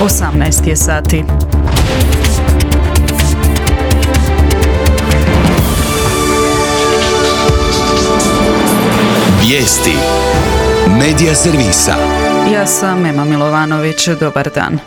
18 je sati. Vijesti Medija servisa. Ja sam Ema Milovanović, dobar dan.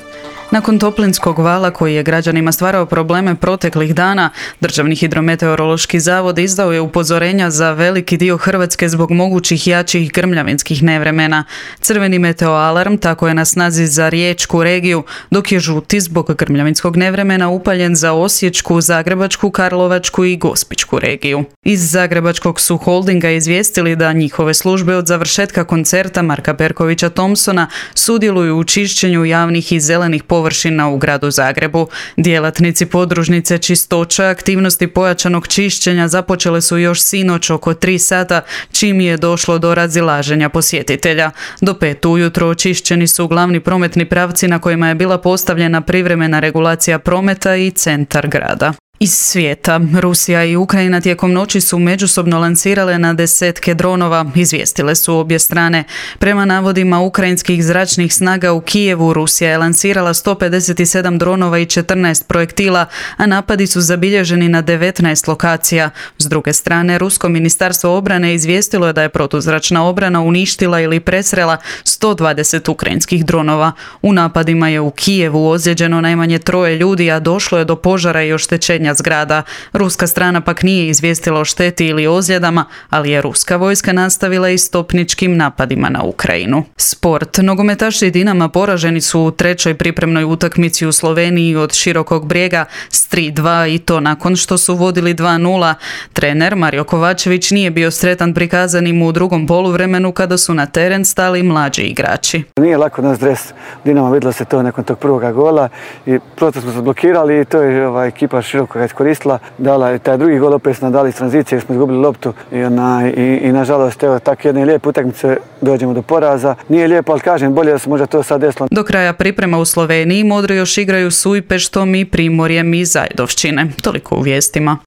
Nakon toplinskog vala koji je građanima stvarao probleme proteklih dana, Državni hidrometeorološki zavod izdao je upozorenja za veliki dio Hrvatske zbog mogućih jačih grmljavinskih nevremena. Crveni meteoalarm tako je na snazi za riječku regiju, dok je žuti zbog grmljavinskog nevremena upaljen za Osječku, Zagrebačku, Karlovačku i Gospićku regiju. Iz Zagrebačkog su holdinga izvijestili da njihove službe od završetka koncerta Marka Perkovića Thompsona sudjeluju u čišćenju javnih i zelenih površina u gradu Zagrebu. Djelatnici podružnice Čistoća aktivnosti pojačanog čišćenja započele su još sinoć oko 3 sata, čim je došlo do razilaženja posjetitelja. Do 5 ujutro očišćeni su glavni prometni pravci na kojima je bila postavljena privremena regulacija prometa i centar grada. Iz svijeta, Rusija i Ukrajina tijekom noći su međusobno lansirale na desetke dronova, izvijestile su obje strane. Prema navodima ukrajinskih zračnih snaga u Kijevu, Rusija je lansirala 157 dronova i 14 projektila, a napadi su zabilježeni na 19 lokacija. S druge strane, Rusko ministarstvo obrane izvijestilo je da je protuzračna obrana uništila ili presrela 120 ukrajinskih dronova. U napadima je u Kijevu ozlijeđeno najmanje 3 ljudi, a došlo je do požara i oštećenja zgrada. Ruska strana pak nije izvijestila o šteti ili ozljedama, ali je ruska vojska nastavila i s topničkim napadima na Ukrajinu. Sport. Nogometaši Dinama poraženi su u 3. pripremnoj utakmici u Sloveniji od Širokog Brijega s 3-2 i to nakon što su vodili 2-0. Trener Mario Kovačević nije bio sretan prikazanim u drugom poluvremenu kada su na teren stali mlađi igrači. Nije lako nas dres Dinama, vidjelo se to nakon tog prvoga gola i prosto smo se blokirali i to je ekipa Široko iskoristila, dala je taj drugi gol, opet smo dali iz tranzicije jer smo izgubili loptu i nažalost evo tako jedne lijepe utakmice dođemo do poraza. Nije lijepo, ali kažem, bolje da se možda to sad desilo. Do kraja priprema u Sloveniji Modri još igraju s Ujpeštom i Primorjem iz Zajdovšćine. Toliko u vijestima.